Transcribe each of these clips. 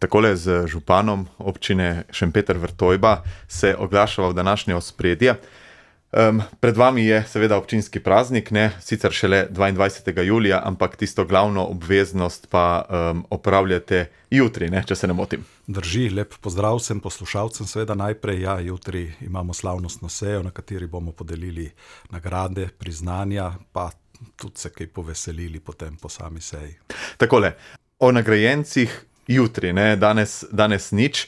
Takole z županom občine Šempeter-Vrtojba se oglašava v današnje ospredje. Pred vami je seveda občinski praznik, ne sicer šele 22. julija, ampak tisto glavno obveznost pa opravljate jutri, ne, če se ne motim. Drži, lep pozdrav vsem poslušalcem, seveda najprej, jutri imamo slavnostno sejo, na kateri bomo podelili nagrade, priznanja, pa tudi se kaj poveselili potem po sami seji. Takole, o nagrajencih jutri, ne, danes nič,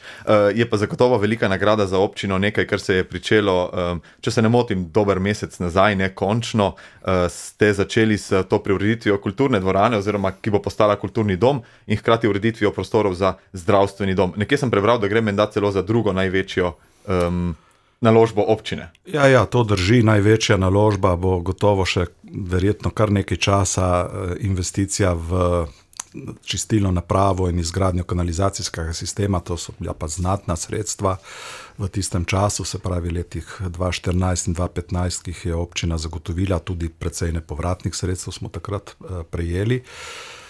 je pa zagotovo velika nagrada za občino, nekaj, kar se je pričelo, če se ne motim, dober mesec nazaj, ne, končno ste začeli s to preureditvijo kulturne dvorane, oziroma ki bo postala kulturni dom in hkrati ureditvijo prostorov za zdravstveni dom. Nekje sem prebral, da gre menda celo za drugo največjo naložbo občine. Ja, to drži, največja naložba bo gotovo še verjetno kar nekaj časa investicija v čistilno napravo in izgradnjo kanalizacijskega sistema, to so bila pa znatna sredstva v tistem času, se pravi letih 2014 in 2015, ki jih je občina zagotovila, tudi precej nepovratnih sredstev smo takrat prejeli.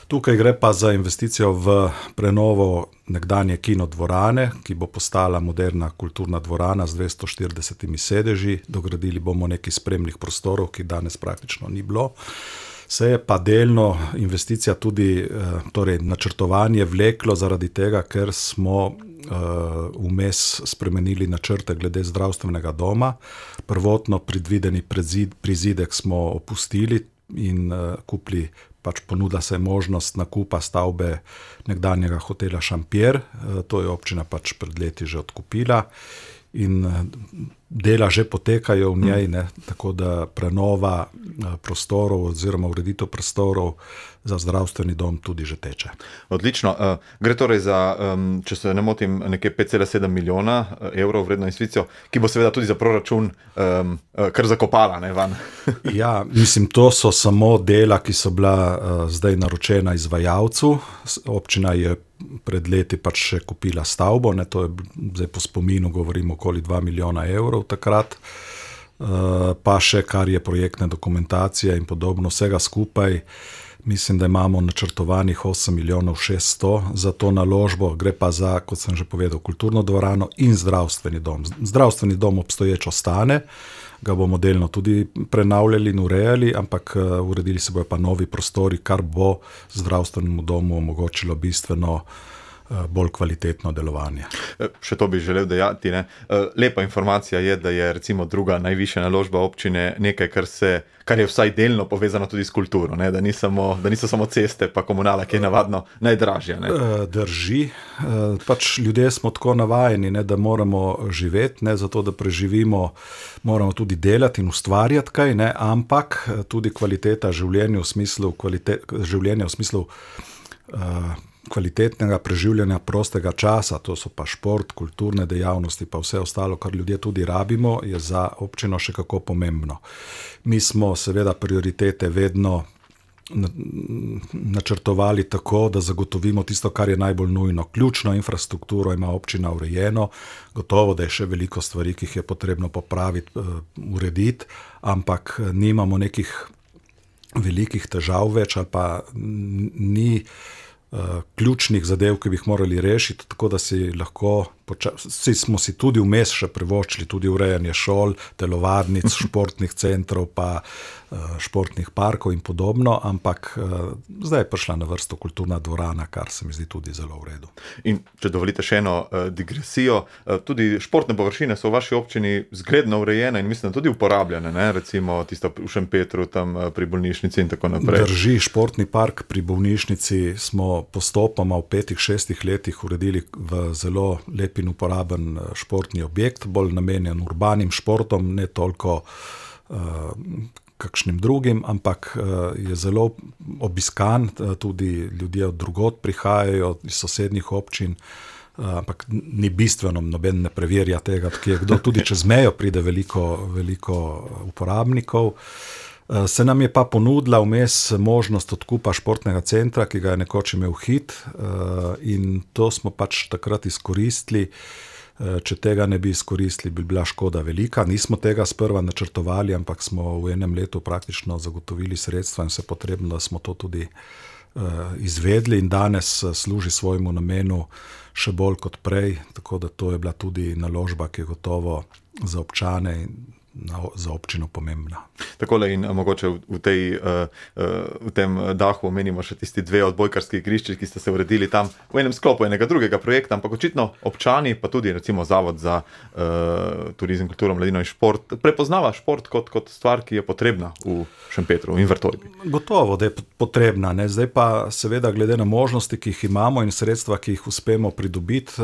Tukaj gre pa za investicijo v prenovo nekdanje kinodvorane, ki bo postala moderna kulturna dvorana z 240 sedeži, dogradili bomo nekaj spremnih prostorov, ki danes praktično ni bilo. Se je pa delno investicija tudi, torej načrtovanje vleklo zaradi tega, ker smo vmes spremenili načrte glede zdravstvenega doma. Prvotno predvideni prizidek smo opustili in kupili, pač ponudila se je možnost nakupa stavbe nekdanjega hotela Šampier, to je občina pač pred leti že odkupila in dela že potekajo v njej, ne, tako da prenova prostorov oziroma ureditev prostorov za zdravstveni dom tudi že teče. Odlično. Gre torej za, če se ne motim, nekje 5,7 milijona evrov vredno investicijo, ki bo seveda tudi za proračun kar zakopala, ne, van. Ja, mislim, to so samo dela, ki so bila zdaj naročena izvajalcu. Občina je pred leti pač še kupila stavbo, ne, to je zdaj po spominu govorimo okoli 2 milijona evrov takrat, pa še kar je projektne dokumentacije in podobno, vsega skupaj. Mislim, da imamo načrtovanih 8 milijonov 600 za to naložbo, gre pa za, kot sem že povedal, kulturno dvorano in zdravstveni dom. Zdravstveni dom obstoječ ostane, ga bomo delno tudi prenavljali in urejali, ampak uredili se bojo pa novi prostori, kar bo zdravstvenemu domu omogočilo bistveno bolj kvalitetno delovanje. Še to bi želel dejati, ne. Lepa informacija je, da je recimo druga najvišja naložba občine nekaj, kar je vsaj delno povezano tudi s kulturo, ne, da niso samo ceste pa komunala, ki je navadno najdražja, ne. Drži, pač ljudje smo tako navajeni, ne, da moramo živeti, ne, zato da preživimo, moramo tudi delati in ustvarjati kaj, ne, ampak tudi kvaliteta življenja v smislu kvalitetnega preživljanja prostega časa, to so pa šport, kulturne dejavnosti, pa vse ostalo, kar ljudje tudi rabimo, je za občino še kako pomembno. Mi smo seveda prioritete vedno načrtovali tako, da zagotovimo tisto, kar je najbolj nujno. Ključno infrastrukturo ima občina urejeno, gotovo, da je še veliko stvari, ki jih je potrebno popraviti, urediti, ampak nimamo nekih velikih težav več, ali pa ni ključnih zadev, ki bi jih morali rešiti, tako da si lahko, smo si tudi vmes še privoščili tudi urejanje šol, telovadnic, športnih centrov, pa športnih parkov in podobno, ampak zdaj je prišla na vrsto kulturna dvorana, kar se mi zdi tudi zelo v redu. In če dovolite še eno digresijo, tudi športne površine so v vaši občini zgledno urejene in mislim tudi uporabljene, ne, recimo tisto v Šempetru, tam pri bolnišnici in tako naprej. Drži, športni park pri bolnišnici smo postopoma v 5-6 letih uredili v zelo lep in uporaben športni objekt, bolj namenjen urbanim športom, ne toliko kakšnim drugim, ampak je zelo obiskan, tudi ljudje od drugod prihajajo iz sosednjih občin, ampak ni bistveno, noben ne preverja tega, kdo tudi čez mejo pride veliko uporabnikov. Se nam je pa ponudila vmes možnost odkupa športnega centra, ki ga je nekoč imel Hit, in to smo pač takrat izkoristili. Če tega ne bi izkoristili, bi bila škoda velika. Nismo tega sprva načrtovali, ampak smo v enem letu praktično zagotovili sredstva in vse potrebno, da smo to tudi izvedli in danes služi svojemu namenu še bolj kot prej, tako da to je bila tudi naložba, ki je gotovo za občane in za občino pomembna. Takole in mogoče v tem dahu omenimo še tisti 2 odbojkarski igrišči, ki ste se uredili tam v enem sklopu enega drugega projekta, ampak očitno občani, pa tudi recimo Zavod za turizem, kulturo, mladino in šport, prepoznava šport kot stvar, ki je potrebna v Šempetru in Vrtojbi. Gotovo, da je potrebna. Ne? Zdaj pa seveda glede na možnosti, ki jih imamo in sredstva, ki jih uspemo pridobiti,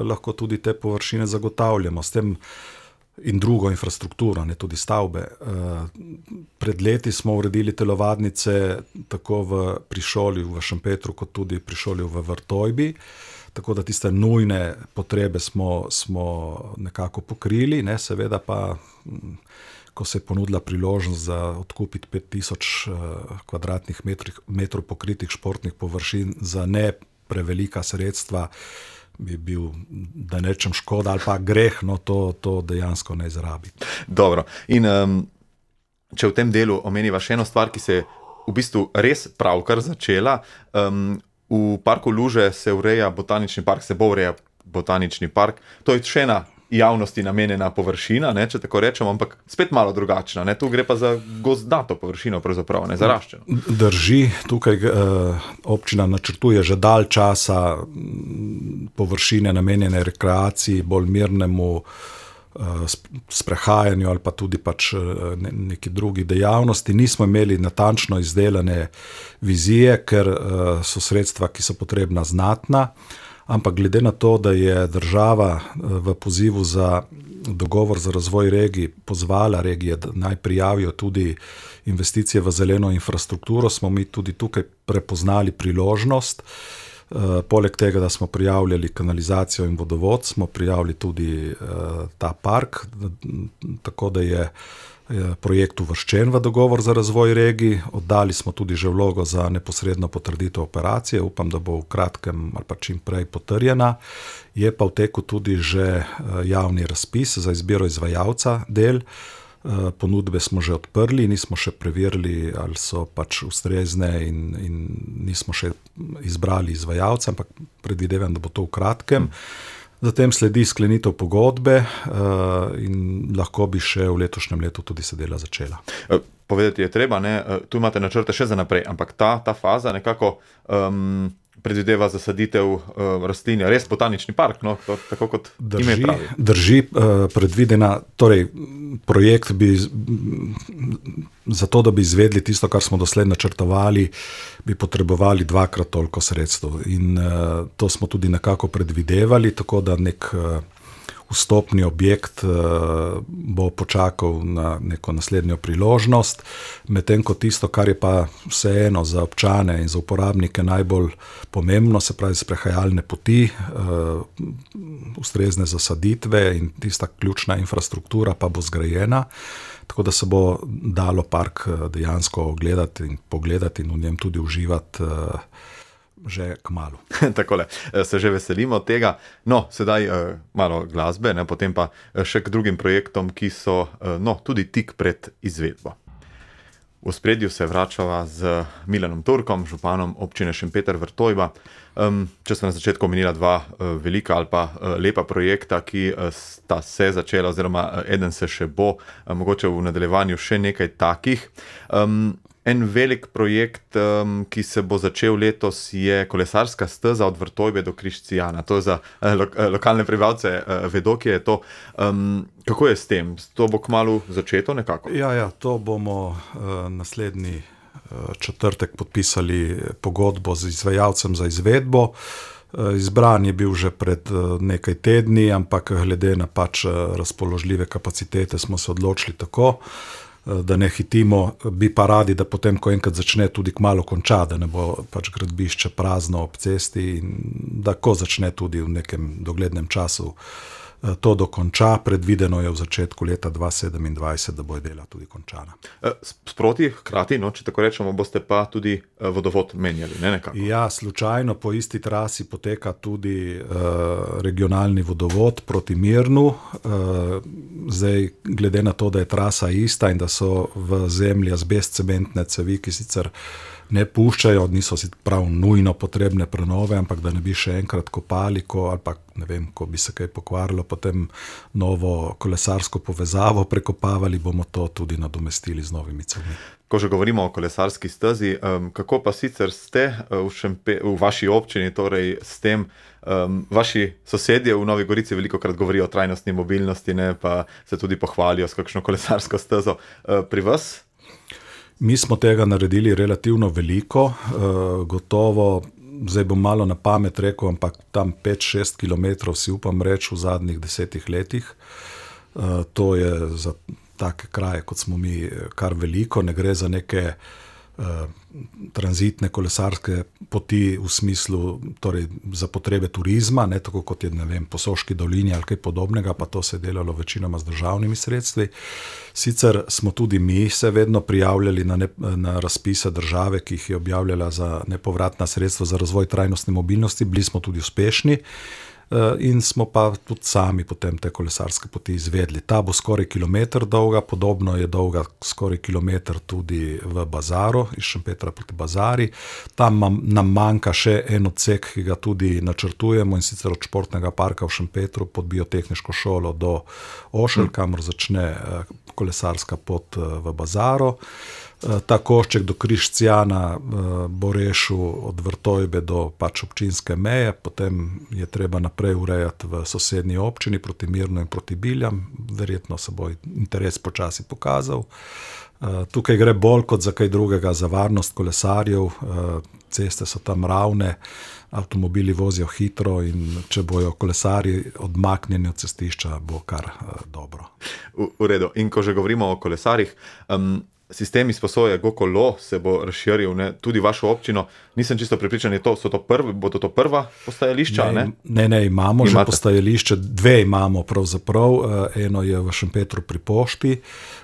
lahko tudi te površine zagotavljamo. S tem in drugo infrastrukturo, ne tudi stavbe. Pred leti smo uredili telovadnice tako pri šoli v Šempetru, kot tudi pri šoli v Vrtojbi, tako da tiste nujne potrebe smo nekako pokrili, ne, seveda pa, ko se je ponudila priložnost za odkupiti 5000 kvadratnih metrov pokritih športnih površin za ne prevelika sredstva, bi bil, da ne rečem škoda ali pa greh, no to dejansko ne izrabi. Dobro. In če v tem delu omeniva še eno stvar, ki se je v bistvu res pravkar začela, v parku Luže se ureja botanični park, se bo ureja botanični park. To je še ena javnosti namenjena površina, ne, če tako rečemo, ampak spet malo drugačna. Ne. Tu gre pa za gozdnato površino, pravzaprav, ne zaraščeno. Drži, tukaj občina načrtuje že dalj časa površine namenjene rekreaciji, bolj mirnemu sprehajanju ali pa tudi pač neki drugi dejavnosti. Nismo imeli natančno izdelane vizije, ker so sredstva, ki so potrebna, znatna. Ampak glede na to, da je država v pozivu za dogovor za razvoj regij pozvala regije, da naj prijavijo tudi investicije v zeleno infrastrukturo, smo mi tudi tukaj prepoznali priložnost. Poleg tega, da smo prijavljali kanalizacijo in vodovod, smo prijavili tudi ta park, tako da je projekt uvrščen v dogovor za razvoj regij. Oddali smo tudi že vlogo za neposredno potrditev operacije, upam, da bo v kratkem ali pa čim prej potrjena. Je pa v teku tudi že javni razpis za izbiro izvajalca del. Ponudbe smo že odprli, nismo še preverili, ali so pač ustrezne in nismo še izbrali izvajalca, ampak predvidevam, da bo to v kratkem. Zatem sledi sklenitev pogodbe in lahko bi še v letošnjem letu tudi se dela začela. Povedati je treba, ne? Tu imate načrte še za naprej, ampak ta faza nekako predvideva zasaditev rastlin, res botanični park, no? Tako kot ime pravi. Drži, predvidena, torej projekt bi, zato da bi izvedli tisto, kar smo doslej načrtovali, bi potrebovali 2-krat toliko sredstev in to smo tudi nekako predvidevali, tako da nek vstopni objekt bo počakal na neko naslednjo priložnost, medtem ko tisto, kar je pa vseeno za občane in za uporabnike najbolj pomembno, se pravi sprehajalne poti, ustrezne zasaditve in tista ključna infrastruktura pa bo zgrajena, tako da se bo dalo park dejansko ogledati in pogledati in v njem tudi uživati že kmalu. Takole, se že veselimo tega. No, sedaj malo glasbe, ne, potem pa še k drugim projektom, ki so tudi tik pred izvedbo. V ospredju se vračava z Milanom Turkom, županom občine Šempeter Vrtojba. Če sem na začetku omenila 2 velika ali pa lepa projekta, ki sta se začela, oziroma eden se še bo, mogoče v nadaljevanju še nekaj takih. En velik projekt, ki se bo začel letos, je kolesarska steza od Vrtojbe do Križcijana. To za lokalne prebivalce vedo, kje je to. Kako je s tem? To bo kmalu začeto nekako? Ja, to bomo naslednji četrtek podpisali pogodbo z izvajalcem za izvedbo. Izbran je bil že pred nekaj tedni, ampak glede na pač razpoložljive kapacitete smo se odločili tako, da ne hitimo, bi pa radi, da potem, ko enkrat začne, tudi kmalu konča, da ne bo pač gradbišče prazno ob cesti in da ko začne tudi v nekem doglednem času to dokonča. Predvideno je v začetku leta 2027, da bo dela tudi končana. Sproti, hkrati, če tako rečemo, boste pa tudi vodovod menjali, ne nekako? Ja, slučajno po isti trasi poteka tudi regionalni vodovod proti Mirnu. Zdaj, glede na to, da je trasa ista in da so v zemlji azbest cementne cevi, ki sicer ne puščajo, niso si prav nujno potrebne prenove, ampak da ne bi še enkrat kopali, ali pa ne vem, ko bi se kaj pokvarilo, potem novo kolesarsko povezavo prekopavali, bomo to tudi nadomestili z novimi cevmi. Ko že govorimo o kolesarski stezi, kako pa sicer ste v vaši občini, torej s tem, vaši sosedje v Novi Gorici velikokrat govorijo o trajnostni mobilnosti, ne, pa se tudi pohvalijo s kakšno kolesarsko stezo. Pri vas? Mi smo tega naredili relativno veliko, gotovo, zdaj bom malo na pamet rekel, ampak tam 5-6 kilometrov si upam reči v zadnjih 10 letih. To je za take kraje, kot smo mi, kar veliko, ne gre za neke tranzitne kolesarske poti v smislu, torej za potrebe turizma, ne tako kot je, ne vem, Posoški dolini ali kaj podobnega, pa to se je delalo večinoma z državnimi sredstvi. Sicer smo tudi mi se vedno prijavljali na razpise države, ki jih je objavljala za nepovratna sredstva za razvoj trajnostne mobilnosti, bili smo tudi uspešni. In smo pa tudi sami potem te kolesarske poti izvedli. Ta bo skoraj kilometer dolga, podobno je dolga skoraj kilometer tudi v Bazaru, iz Šempetra proti Bazari. Tam nam manjka še en odsek, ki ga tudi načrtujemo, in sicer od športnega parka v Šempetru pod biotehniško šolo do Ošelj, kamor začne kolesarska pot v Bazaru. Ta košček do Križcijana bo rešil od Vrtojbe do pač občinske meje, potem je treba naprej urejati v sosednji občini proti Mirnu in proti Biljam, verjetno se bo interes počasi pokazal. Tukaj gre bolj kot za kaj drugega, za varnost kolesarjev, ceste so tam ravne, avtomobili vozijo hitro in če bojo kolesarji odmaknjeni od cestišča, bo kar dobro. V redu. In ko že govorimo o kolesarjih, sistem izposoje GoKolo se bo razširil, ne, tudi vašo občino. Nisem čisto prepričan, bodo to prva postajališča? Ne, imamo že postajališče, 2 imamo pravzaprav. Eno je v Šempetru pri pošti,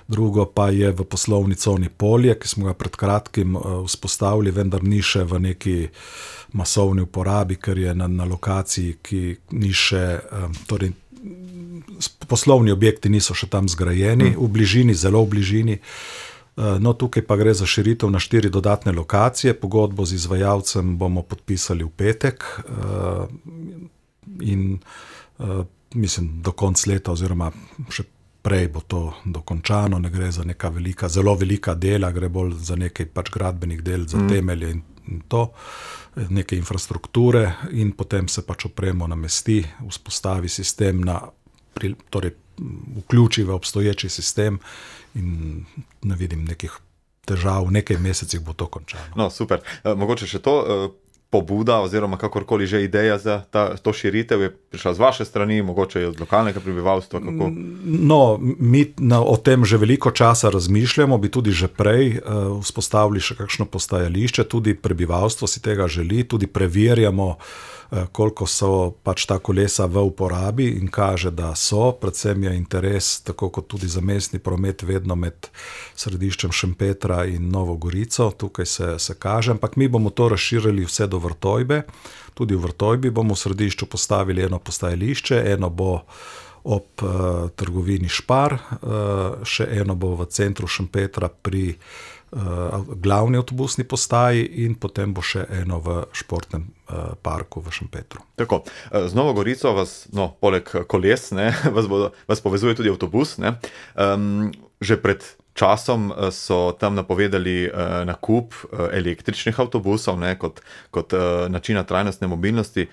drugo pa je v poslovni coni Polje, ki smo ga pred kratkim vzpostavili, vendar ni še v neki masovni uporabi, ker je na lokaciji, ki ni še, torej poslovni objekti niso še tam zgrajeni, v bližini, zelo v bližini. No, tukaj pa gre za širitev na 4 dodatne lokacije. Pogodbo z izvajalcem bomo podpisali v petek in mislim, do konca leta oziroma še prej bo to dokončano. Ne gre za neka zelo velika dela, gre bolj za nekaj pač gradbenih del, za temelje in to, neke infrastrukture, in potem se pač opremo namesti, vzpostavi sistem torej vključi v obstoječi sistem in ne vidim nekih težav, v nekaj mesecih bo to končano. No, super. Mogoče še to, pobuda oziroma kakorkoli že ideja za to širitev je prišla z vaše strani, mogoče je od lokalnega prebivalstva, kako? No, mi o tem že veliko časa razmišljamo, bi tudi že prej vzpostavili še kakšno postajališče, tudi prebivalstvo si tega želi, tudi preverjamo, koliko so pač ta kolesa v uporabi, in kaže, da so, predvsem je interes, tako kot tudi za mestni promet, vedno med središčem Šempetra in Novo Gorico, tukaj se kaže, ampak mi bomo to razširili vse do Vrtojbe. Tudi v Vrtojbi bomo v središču postavili eno postajališče, eno bo ob trgovini Špar, še eno bo v centru Šempetra pri glavni avtobusni postaji in potem bo še eno v športnem parku v Šempetru. Tako, z Novo Gorico vas, poleg koles, ne, vas povezuje tudi avtobus, ne. Že pred časom so tam napovedali nakup električnih avtobusov, ne, kot načina trajnostne mobilnosti.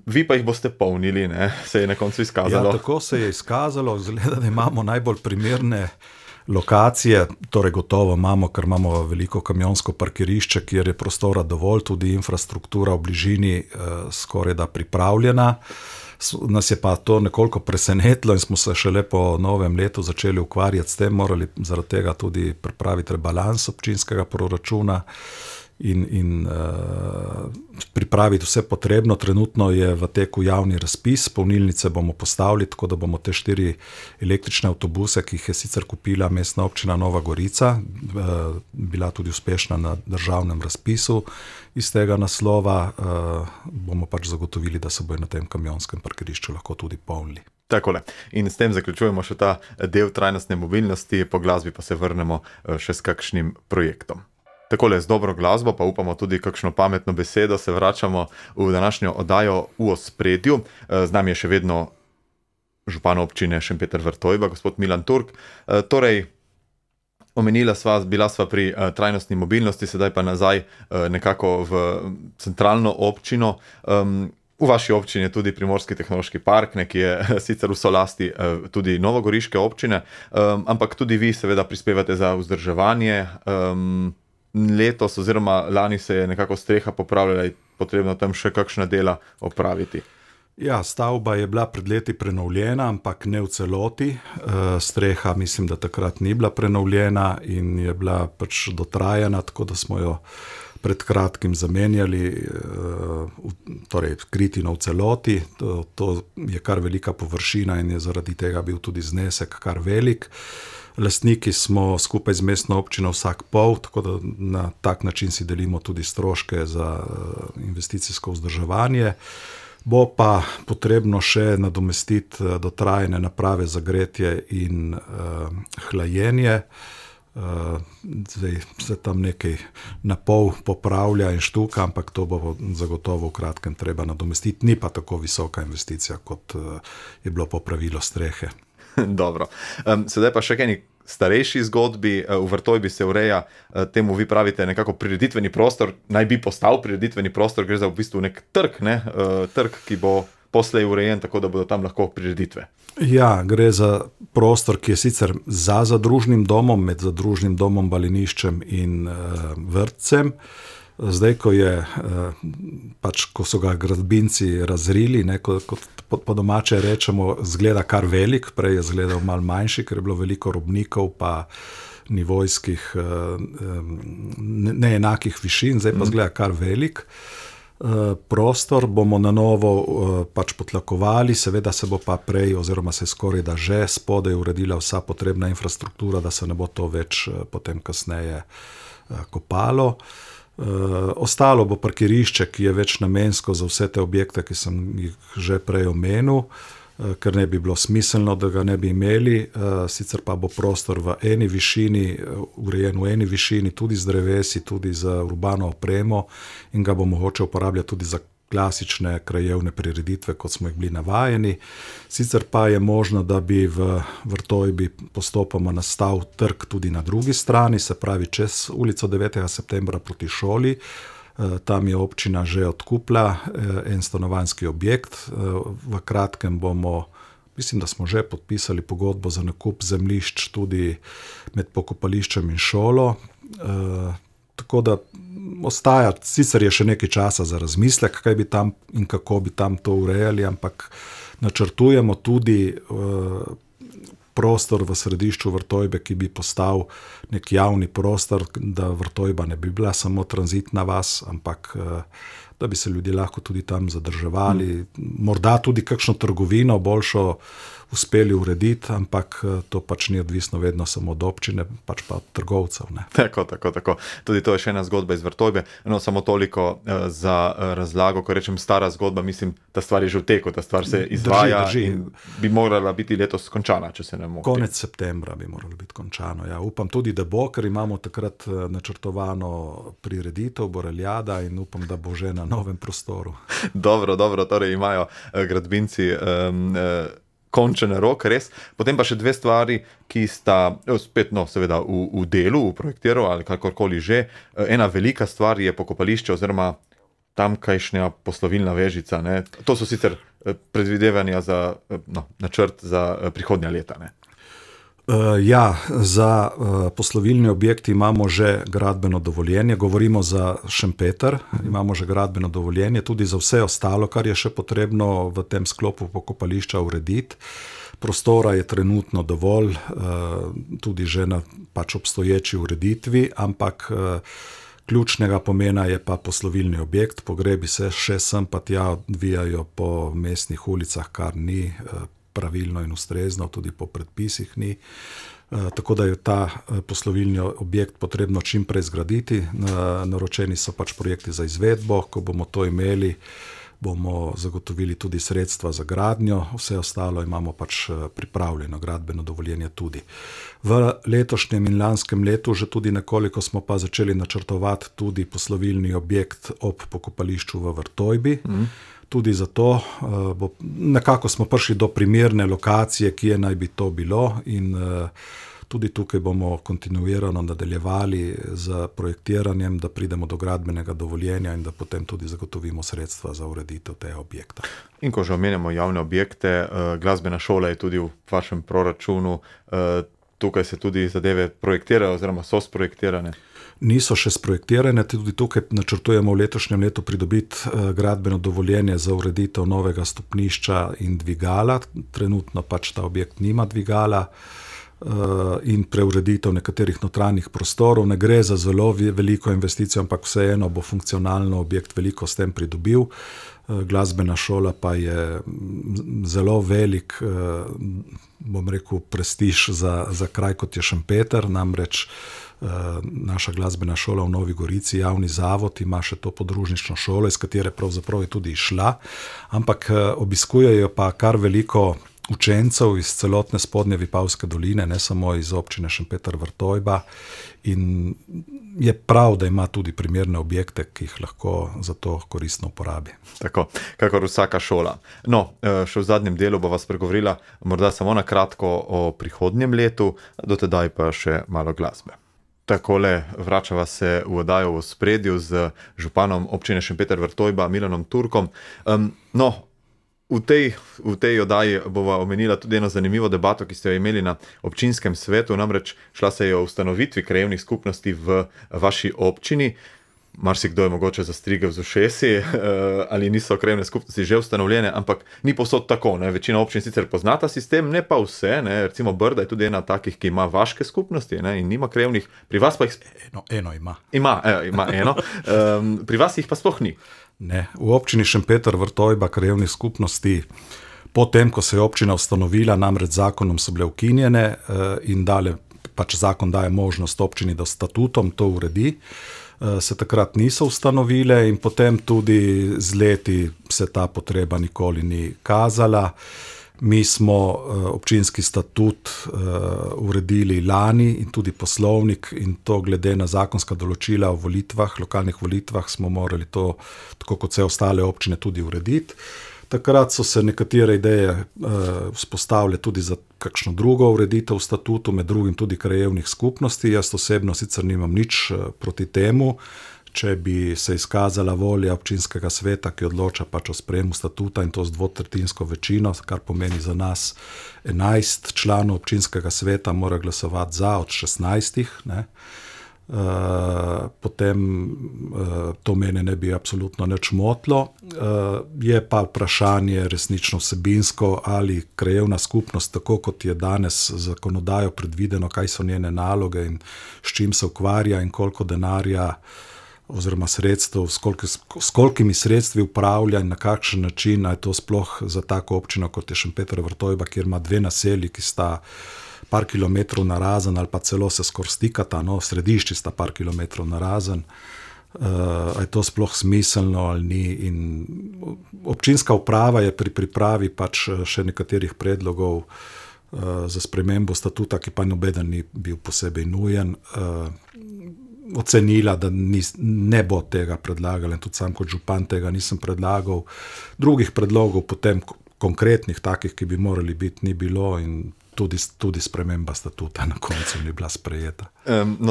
Vi pa jih boste polnili, ne, se je na koncu izkazalo. Ja, tako se je izkazalo, zgleda, da imamo najbolj primerne lokacije, torej gotovo imamo, ker imamo veliko kamionsko parkirišče, kjer je prostora dovolj, tudi infrastruktura v bližini skoraj da pripravljena. Nas je pa to nekoliko presenetilo in smo se šele po novem letu začeli ukvarjati s tem, morali zaradi tega tudi pripraviti rebalans občinskega proračuna in pripraviti vse potrebno. Trenutno je v teku javni razpis, polnilnice bomo postavili, tako da bomo te 4 električne avtobuse, ki jih je sicer kupila mestna občina Nova Gorica, bila tudi uspešna na državnem razpisu, iz tega naslova bomo pač zagotovili, da se bojo na tem kamionskem parkirišču lahko tudi polnili. Takole. In s tem zaključujemo še ta del trajnostne mobilnosti, po glasbi pa se vrnemo še s kakšnim projektom. Takole z dobro glasbo, pa upamo tudi kakšno pametno besedo, se vračamo v današnjo oddajo V ospredju. Z nami je še vedno župan občine Šempeter-Vrtojba, gospod Milan Turk. Torej, bila sva pri trajnostni mobilnosti, sedaj pa nazaj nekako v centralno občino. V vaši občini je tudi Primorski tehnološki park, ki je sicer v solasti tudi novogoriške občine, ampak tudi vi seveda prispevate za vzdrževanje. Letos oziroma lani se je nekako streha popravljala in potrebno tam še kakšna dela opraviti. Ja, stavba je bila pred leti prenovljena, ampak ne v celoti. Streha mislim, da takrat ni bila prenovljena in je bila pač dotrajana, tako da smo jo pred kratkim zamenjali, torej kritino v celoti. To je kar velika površina in je zaradi tega bil tudi znesek kar velik. Lastniki smo skupaj z mestno občino vsak pol, tako da na tak način si delimo tudi stroške za investicijsko vzdrževanje. Bo pa potrebno še nadomestiti dotrajane naprave za gretje in hlajenje. Zdaj se tam nekaj na pol popravlja in štuka, ampak to bo zagotovo v kratkem treba nadomestiti. Ni pa tako visoka investicija, kot je bilo popravilo strehe. Dobro. Sedaj pa še kaj starejši zgodbi. V Vrtojbi se ureja, temu vi pravite nekako prireditveni prostor, naj bi postal prireditveni prostor, gre za v bistvu nek trg, trg, ki bo poslej urejen, tako da bodo tam lahko prireditve. Ja, gre za prostor, ki je sicer za zadružnim domom, med zadružnim domom, baliniščem in vrtcem. Zdaj, ko so ga gradbinci razrili, kot po domače rečemo, zgleda kar velik, prej je zgledal malo manjši, ker je bilo veliko robnikov pa nivojskih neenakih višin, zdaj pa zgleda kar velik. Prostor bomo na novo potlakovali, seveda se bo pa prej oziroma se skoraj da že spodaj uredila vsa potrebna infrastruktura, da se ne bo to več potem kasneje kopalo. Ostalo bo parkirišče, ki je več namensko za vse te objekte, ki sem jih že prej omenil, ker ne bi bilo smiselno, da ga ne bi imeli. Sicer pa bo prostor v eni višini, urejen v eni višini, tudi z drevesi, tudi za urbano opremo in ga bo mogoče uporabljati tudi za klasične krajevne prireditve, kot smo jih bili navajeni. Sicer pa je možno, da bi v Vrtojbi postopoma nastal trg tudi na drugi strani, se pravi čez ulico 9. septembra proti šoli. Tam je občina že odkupila en stanovanjski objekt. V kratkem bomo, mislim, da smo že podpisali pogodbo za nakup zemljišč tudi med pokopališčem in šolo. Tako da ostaja, sicer je še nekaj časa za razmislek, kaj bi tam in kako bi tam to urejali, ampak načrtujemo tudi prostor v središču Vrtojbe, ki bi postal nek javni prostor, da Vrtojba ne bi bila samo tranzitna vas, ampak da bi se ljudje lahko tudi tam zadrževali. Morda tudi kakšno trgovino boljšo uspeli urediti, ampak to pač ni odvisno vedno samo od občine, pač pa od trgovcev. Ne? Tako. Tudi to je še ena zgodba iz Vrtojbe. No, samo toliko za razlago, ko rečem stara zgodba, mislim, ta stvar je že v teku, ta stvar se izvaja. Drži. In bi morala biti letos končana, če se ne motim. Konec septembra bi moralo biti končano. Ja, upam tudi, da bo, ker imamo takrat načrtovano prireditev Boreljada in upam, da bo že na novem prostoru. Dobro, torej imajo gradbinci končen rok, res. Potem pa še dve stvari, ki sta spet, seveda v delu, v projektiru ali kakorkoli že. Ena velika stvar je pokopališče oziroma tamkajšnja poslovilna vežica. Ne. To so sicer predvidevanja za načrt za prihodnja leta. Ne. Ja, za poslovilni objekt imamo že gradbeno dovoljenje, govorimo za Šempeter, imamo že gradbeno dovoljenje, tudi za vse ostalo, kar je še potrebno v tem sklopu pokopališča urediti. Prostora je trenutno dovolj, tudi že na obstoječi ureditvi, ampak ključnega pomena je pa poslovilni objekt. Pogrebi se še sem pa tja odvijajo po mestnih ulicah, kar ni pravilno in ustrezno, tudi po predpisih ni. Tako da je ta poslovilni objekt potrebno čim prej zgraditi. Naročeni so projekti za izvedbo, ko bomo to imeli, bomo zagotovili tudi sredstva za gradnjo, vse ostalo imamo pač pripravljeno, gradbeno dovoljenje tudi. V letošnjem in lanskem letu že tudi nekoliko smo pa začeli načrtovati tudi poslovilni objekt ob pokopališču v Vrtojbi. Tudi zato nekako smo prišli do primerne lokacije, kje naj bi to bilo, in tudi tukaj bomo kontinuirano nadaljevali z projektiranjem, da pridemo do gradbenega dovoljenja in da potem tudi zagotovimo sredstva za ureditev tega objekta. In ko že omenjamo javne objekte, glasbena šola je tudi v vašem proračunu, tukaj se tudi zadeve projektirajo oziroma so sprojektirane. Niso še sprojektirane, tudi tukaj načrtujemo v letošnjem letu pridobiti gradbeno dovoljenje za ureditev novega stopnišča in dvigala. Trenutno pač ta objekt nima dvigala, in preureditev nekaterih notranjih prostorov. Ne gre za zelo veliko investicijo, ampak vseeno bo funkcionalno objekt veliko s tem pridobil. Glasbena šola pa je zelo velik, bom rekel, prestiž za kraj, kot je Šempeter, namreč naša glasbena šola v Novi Gorici, javni zavod, ima še to podružnično šolo, iz katere pravzaprav je tudi išla, ampak obiskujejo pa kar veliko učencev iz celotne spodnje Vipavske doline, ne samo iz občine Šempeter Vrtojba, in je prav, da ima tudi primerne objekte, ki jih lahko za to koristno uporabi. Tako, kakor vsaka šola. No, še v zadnjem delu bo vas pregovorila morda samo na kratko o prihodnjem letu, do tedaj pa še malo glasbe. Takole vračava se v oddajo v ospredju z županom občine Šempeter Vrtojba, Milanom Turkom. V tej oddaji bova omenila tudi eno zanimivo debato, ki ste jo imeli na občinskem svetu, namreč šla se je o ustanovitvi krajevnih skupnosti v vaši občini. Marsikdo je mogoče zastrigel z ušesi, ali niso krajevne skupnosti že ustanovljene, ampak ni povsod tako. Ne? Večina občin sicer pozna ta sistem, ne pa vse. Ne? Recimo Brda je tudi ena takih, ki ima vaške skupnosti, ne? In nima krajevnih. Pri vas pa jih... Eno ima. Ima eno. Pri vas jih pa sploh ni. Ne, v občini Šempeter Vrtojba krajevnih skupnosti, potem, ko se je občina ustanovila, namreč zakonom so bile ukinjene in pač zakon daje možnost občini, da statutom to uredi, se takrat niso ustanovile in potem tudi z leti se ta potreba nikoli ni kazala. Mi smo občinski statut uredili lani in tudi poslovnik, in to glede na zakonska določila o volitvah, lokalnih volitvah, smo morali to, tako kot vse ostale občine, tudi urediti. Takrat so se nekatere ideje vzpostavile tudi za kakšno drugo ureditev v statutu, med drugim tudi krajevnih skupnosti. Jaz osebno sicer nimam nič proti temu, če bi se izkazala volja občinskega sveta, ki odloča pač o sprejemu statuta, in to z 2/3 večino, kar pomeni za nas 11 članov občinskega sveta mora glasovati za od 16. Ne? Potem to mene ne bi absolutno nič motilo. Je pa vprašanje resnično vsebinsko, ali krajevna skupnost, tako kot je danes zakonodajo predvideno, kaj so njene naloge in s čim se ukvarja in koliko denarja oziroma sredstev, s kolikimi sredstvi upravlja in na kakšen način, je to sploh za tako občino, kot je Šempeter Vrtojba, kjer ima 2 naselji, ki sta par kilometrov narazen ali pa celo se skoraj stikata, v središči sta par kilometrov narazen, je to sploh smiselno ali ni. In občinska uprava je pri pripravi pač še nekaterih predlogov za spremembo statuta, ki pa nobeden ni bil posebej nujen, ocenila, da ne bo tega predlagala, in tudi sam kot župan tega nisem predlagal. Drugih predlogov potem konkretnih, takih, ki bi morali biti, ni bilo, in tudi sprememba statuta na koncu ni bila sprejeta.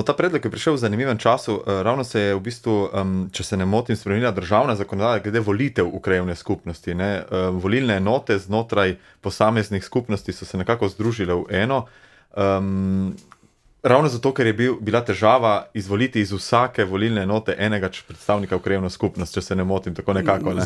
Ta predlog je prišel v zanimivem času. Ravno se je v bistvu, če se ne motim, spremenila državna zakonodaja glede volitev v krajevne skupnosti. Ne? Volilne enote znotraj posameznih skupnosti so se nekako združile v eno. Ravno zato, ker je bila težava izvoliti iz vsake volilne enote enega predstavnika v krajevno skupnost, če se ne motim, tako nekako. Ne?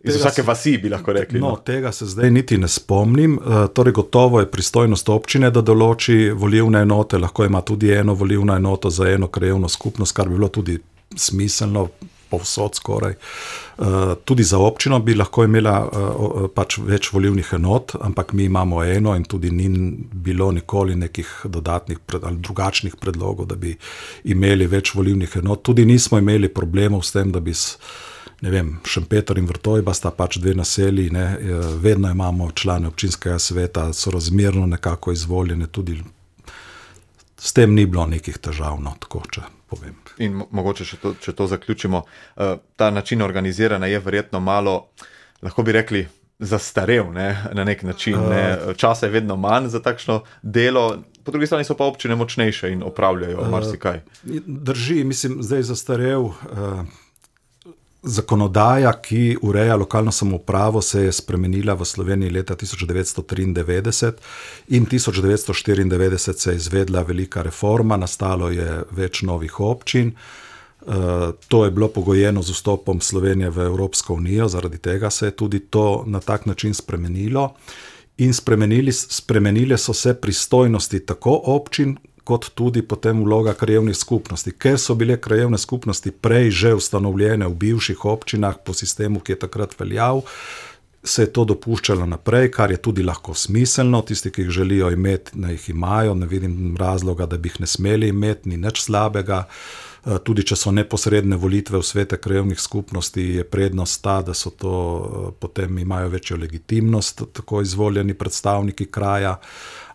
Iz vsake vasi bi lahko rekli. Tega se zdaj niti ne spomnim. Torej gotovo je pristojnost občine, da določi volilne enote, lahko ima tudi eno volilno enoto za eno krajevno skupnost, kar bi bilo tudi smiselno, povsod skoraj. Tudi za občino bi lahko imela pač več volilnih enot, ampak mi imamo eno in tudi ni bilo nikoli nekih dodatnih ali drugačnih predlogov, da bi imeli več volilnih enot. Tudi nismo imeli problemov s tem, da bi ne vem, Šempeter in Vrtojba sta pač dve naselji, ne, vedno imamo člane občinskega sveta, so razmerno nekako izvoljene, tudi s tem ni bilo nekih težav, no, tako če povem. In mogoče če to zaključimo, ta način organiziranja je verjetno malo, lahko bi rekli, zastarel, ne, na nek način. Ne. Časa je vedno manj za takšno delo, po drugi strani so pa občine močnejše in opravljajo marsikaj. Drži, mislim, zdaj zastarel. Zakonodaja, ki ureja lokalno samoupravo, se je spremenila v Sloveniji leta 1993 in 1994 se je izvedla velika reforma, nastalo je več novih občin. To je bilo pogojeno z vstopom Slovenije v Evropsko unijo, zaradi tega se je tudi to na tak način spremenilo. In spremenile so se pristojnosti tako občin, kot tudi potem vloga krajevnih skupnosti. Ker so bile krajevne skupnosti prej že ustanovljene v bivših občinah po sistemu, ki je takrat veljal, se je to dopuščalo naprej, kar je tudi lahko smiselno. Tisti, ki jih želijo imeti, naj jih imajo, ne vidim razloga, da bi jih ne smeli imeti, ni nič slabega. Tudi če so neposredne volitve v svete krajevnih skupnosti, je prednost ta, da so to, potem imajo večjo legitimnost, tako izvoljeni predstavniki kraja,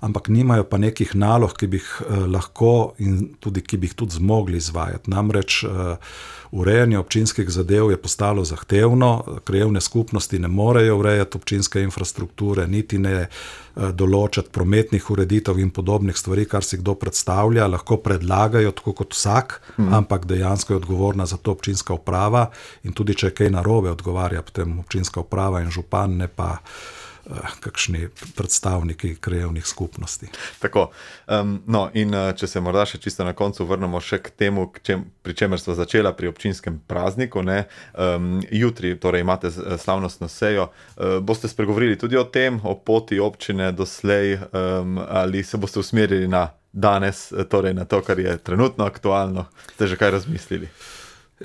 ampak nimajo pa nekih nalog, ki bi jih lahko in tudi, ki bi jih tudi zmogli izvajati. Namreč urejanje občinskih zadev je postalo zahtevno, krajevne skupnosti ne morejo urejati občinske infrastrukture, niti ne določati prometnih ureditev in podobnih stvari, kar si kdo predstavlja, lahko predlagajo tako kot vsak, ampak dejansko je odgovorna za to občinska uprava in tudi če je kaj narobe, odgovarja potem občinska uprava in župan, ne pa kakšni predstavniki krajevnih skupnosti. Tako, no in če se morda še čisto na koncu vrnemo še k temu, pri čemer sva začela pri občinskem prazniku, ne, jutri, torej imate slavnostno sejo, boste spregovorili tudi o tem, o poti občine doslej, ali se boste usmerili na danes, torej na to, kar je trenutno aktualno, ste že kaj razmislili?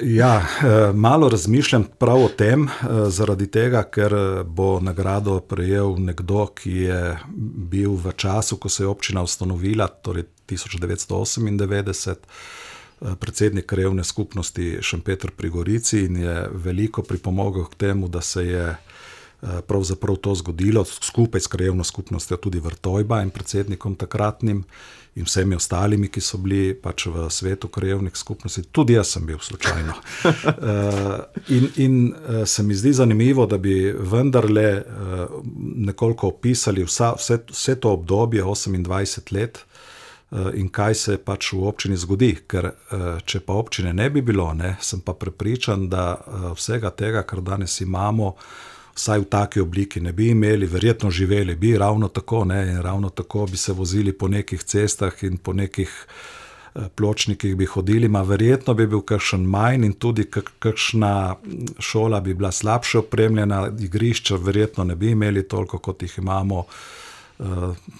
Ja, malo razmišljam prav o tem, zaradi tega, ker bo nagrado prejel nekdo, ki je bil v času, ko se je občina ustanovila, torej 1998, predsednik krajevne skupnosti Šempeter pri Gorici in je veliko pripomogel k temu, da se je pravzaprav to zgodilo, skupaj s krajevno skupnostjo tudi Vrtojba in predsednikom takratnim in vsemi ostalimi, ki so bili pač v svetu krajevnih skupnosti. Tudi jaz sem bil slučajno. In se mi zdi zanimivo, da bi vendarle nekoliko opisali vse to obdobje, 28 let, in kaj se pač v občini zgodi. Ker če pa občine ne bi bilo, ne, sem pa prepričan, da vsega tega, kar danes imamo, vsaj v taki obliki ne bi imeli, verjetno živeli bi ravno tako, ne, in ravno tako bi se vozili po nekih cestah in po nekih pločnikih bi hodili, verjetno bi bil kakšen manj in tudi kakšna šola bi bila slabše opremljena, igrišča verjetno ne bi imeli toliko, kot jih imamo.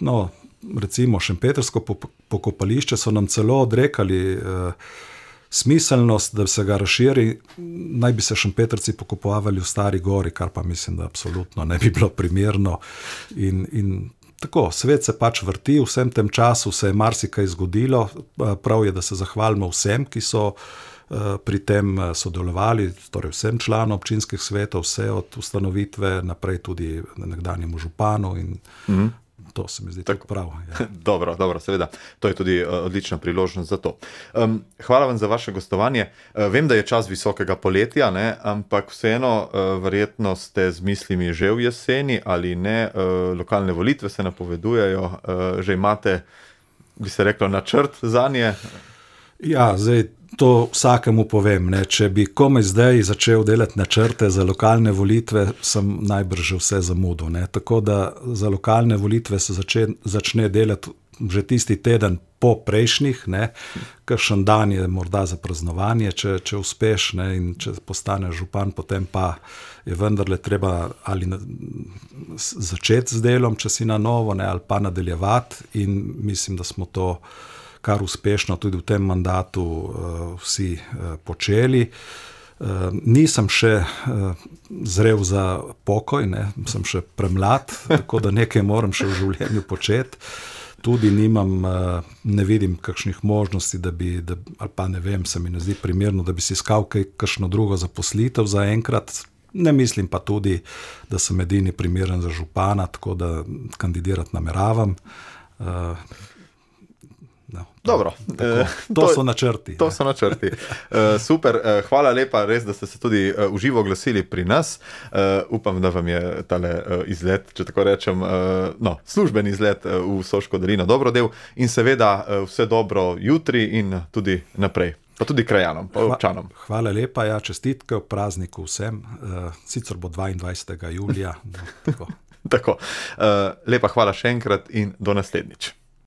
No, recimo Šempetrsko pokopališče so nam celo odrekali smiselnost, da se ga razširi, naj bi se Šempetrci pokopavali v Stari Gori, kar pa mislim, da absolutno ne bi bilo primerno. In tako, svet se pač vrti, v vsem tem času se je marsikaj zgodilo, prav je, da se zahvalimo vsem, ki so pri tem sodelovali, torej vsem članom občinskih svetov, vse od ustanovitve naprej tudi nekdanjemu županu in to se mi zdi tako prav. Ja. Dobro, seveda. To je tudi odlična priložnost za to. Hvala vam za vaše gostovanje. Vem, da je čas visokega poletja, ne, ampak vseeno verjetno ste z mislimi že v jeseni ali ne. Lokalne volitve se napovedujejo. Že imate, bi se reklo, načrt zanje? Ja, zdaj to vsakemu povem, ne. Če bi komaj zdaj začel delati načrte za lokalne volitve, sem najbrž že vse zamudil, ne. Tako da za lokalne volitve se začne delati že tisti teden po prejšnjih, ne. Kakšen dan je morda za praznovanje, če uspeš, ne, in če postaneš župan, potem pa je vendarle treba ali začeti z delom, če si na novo, ne, ali pa nadaljevati in mislim, da smo to kar uspešno tudi v tem mandatu vsi počeli. Nisem še zrel za pokoj, ne, sem še premlad, tako da nekaj moram še v življenju početi. Tudi nimam, ne vidim kakšnih možnosti, ali pa ne vem, se mi ne zdi primerno, da bi si iskal kakšno drugo zaposlitev za enkrat. Ne mislim pa tudi, da sem edini primeren za župana, tako da kandidirati nameravam. No, Dobro. To so načrti. To so načrti. Super, hvala lepa, res, da ste se tudi v živo oglasili pri nas. Upam, da vam je tale izlet, če tako rečem, službeni izlet v Soško dolino dobrodel in seveda vse dobro jutri in tudi naprej. Pa tudi krajanom, pa občanom. Hvala lepa, čestitke ob prazniku vsem. Sicer bo 22. julija. Tako. Tako. Lepa hvala še enkrat in do naslednjič.